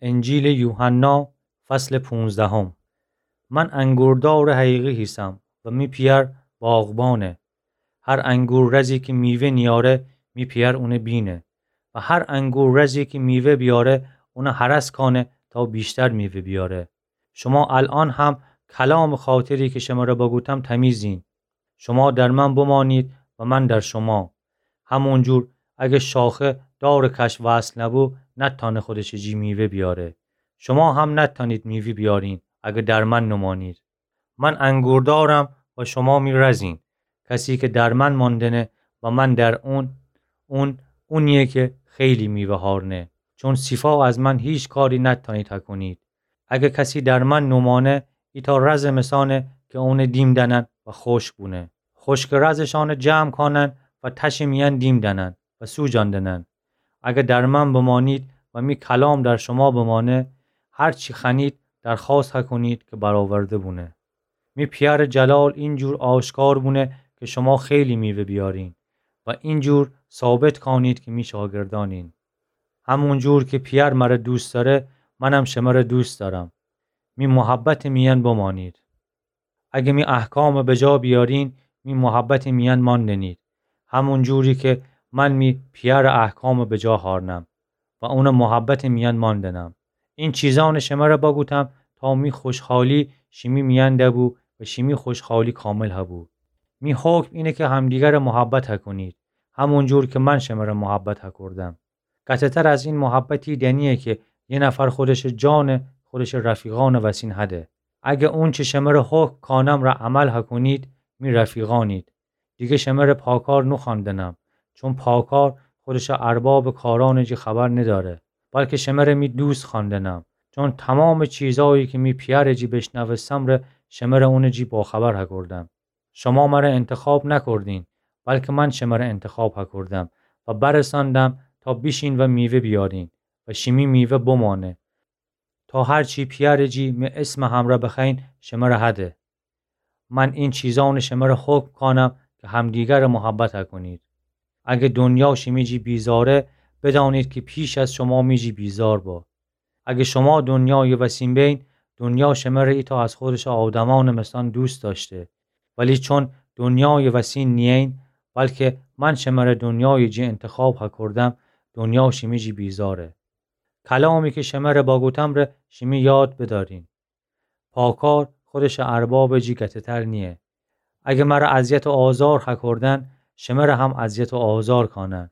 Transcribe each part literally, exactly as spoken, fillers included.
انجیلٚ یوحنا، فصلٚ پونزدهم. من انگوردارٚ حقیقی هیسم و می پیأر باغبانه. هر انگور رزی کی میوه نیاره، می پیأر اونه بینه. و هر انگور رزی کی میوه بیاره، اونه هرس کانه تا ویشتر میوه بیاره. شما الأن هم کلامٚ خاطری کی شمره بگوتم تمیزین. شما در من بمانید و من در شما. همونجور اگه شاخه دارٚ کش وصل نبو، نتأنه خودشٚ جی میوه بیاره. شما هم نتأنید میوه بیارین اگه در من نمانید. من انگوردارم و شما می رزین. کسی که در من ماندنه و من در اون، اون اونیه که خیلی میوه هارنه. چون صیفا از من هیچ کاری نتأنید هکنید. اگه کسی در من نمانه، ایتأ رزٚ مسانه که اونه دیم دأنن و خوشک بونه. خوشکٚ رزٚ شانه جمع کانن و تشٚ میأن دیم دأنن و سوجاندنن. اگه در من بمانید و می کلام در شما بمانه، هر چی خوأنید درخوأست هکنید که برآورده بونه. می پیأرٚ جلال اینجور آشکار بونه که شما خیلی میوه بیارین و اینجور ثابت کانید که می شاگردأنین. همونجور که پیأر مره دوست دأره، منم شمره دوست دأرم. می محبتٚ میأن بمانید. اگه می احکام بجا بیارین، می محبتٚ میأن ماندنید. همونجوری که من می پیأرٚ احکام بجا هارنم و اونٚ محبتٚ میأن ماندنم. این چیزأن شمره بگوتم تا می خوشحالی شیمی میأن دبو و شیمی خوشحالی کامل هبو. می حکم اینه که همدیگره محبت هکنید، همونجور که من شمره محبت هکردم. قطعتر از این محبتی دنیه که یه نفر خودشٚ جان خودشٚ رفیقأنٚ وسین هده. اگه اونچه شمره حکم کانم ره عمل هکنید، می رفیقأنید. دیگه شمره پاکار نوخوأندنم، چون پاکار خودشٚ اربابٚ کارأنٚ جی خبر ندأره، بلکه شمره می دوست خوأندنم، چون تمامٚ چیزأیی که می پیأرٚ جی بیشنوستم ره شمره اونٚ جی باخبر هکردم. شما مره انتخاب نکردین، بلکه من شمره انتخاب هکردم و برسأندم تا بیشین و میوه بیارین و شیمی میوه بمأنه، تا هر چی پیأرٚ جی می اسمٚ همرأ بخوأیین شمره هده. من این چیزأن شمره حکم کانم که همدیگره محبت هکنید. اگه دنیا شیمی جی بیزاره، بدأنید که پیش از شما می جی بیزار با. اگه شما دنیایٚ وسین بین، دنیا شمره ایتأ از خودشٚ آدمأنٚ مثأن دوست دأشته. ولی چون دنیایٚ وسین نیین، بلکه من شمره دنیایٚ جی انتخاب هکردم، دنیا شیمی جی بیزاره. کلامی که شمره بگوتم ره شیمی یاد بدأرین. پاکار خودشٚ اربابٚ جی قطعتر نییه. اگه مره اذیت و آزار هکردن، شمره هم اذیت و آزار کانن.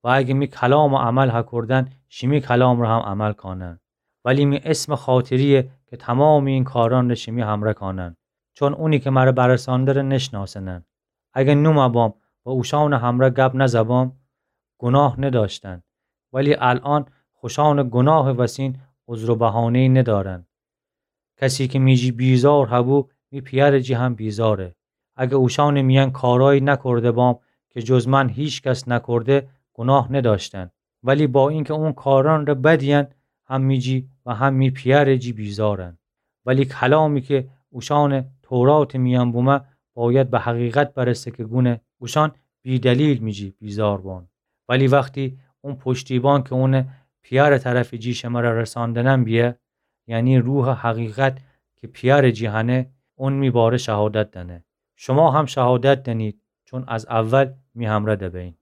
و اگه می کلامٚ عمل هکردن، شیمی کلام ره هم عمل کانن. ولی می اسمٚ خاطریه که تمامٚ این کارأن ره شیمی همرأ کانن. چون اونی که مره برسأنده ره نشناسنن. اگه نومه بام و اوشأنٚ همرأ گب نزه بام، گناه ندأشتن. ولی الأن خوشأنٚ گناهٚ وسین عذر و بهانه‌یی ندأرن. کسی که می جی بیزار هبو، می پیأرٚ جی هم بیزاره. اگه اوشأنٚ میأن کارأیی نکرده بام که جز من هیکس نکرده، گناه ندأشتن. ولی با اینکه اون کارأن ره بدیین، هم می جی و هم می پیأرٚ جی بیزارن. ولی کلامی که اوشأنٚ توراتٚ میأن بومه، بأید به حقیقت برسه که گونه اوشأن بی‌دلیل می جی بیزار بان. ولی وختی اون پشتیبان که اونٚ پیأرٚ طرفٚ جی شمره رسأندنم بیه، یعنی روحٚ حقیقت که پیأرٚ جی هنه، اون می باره شهادت دأنه. شما هم شهادت دأنید، چون از اول می همرأ دبین.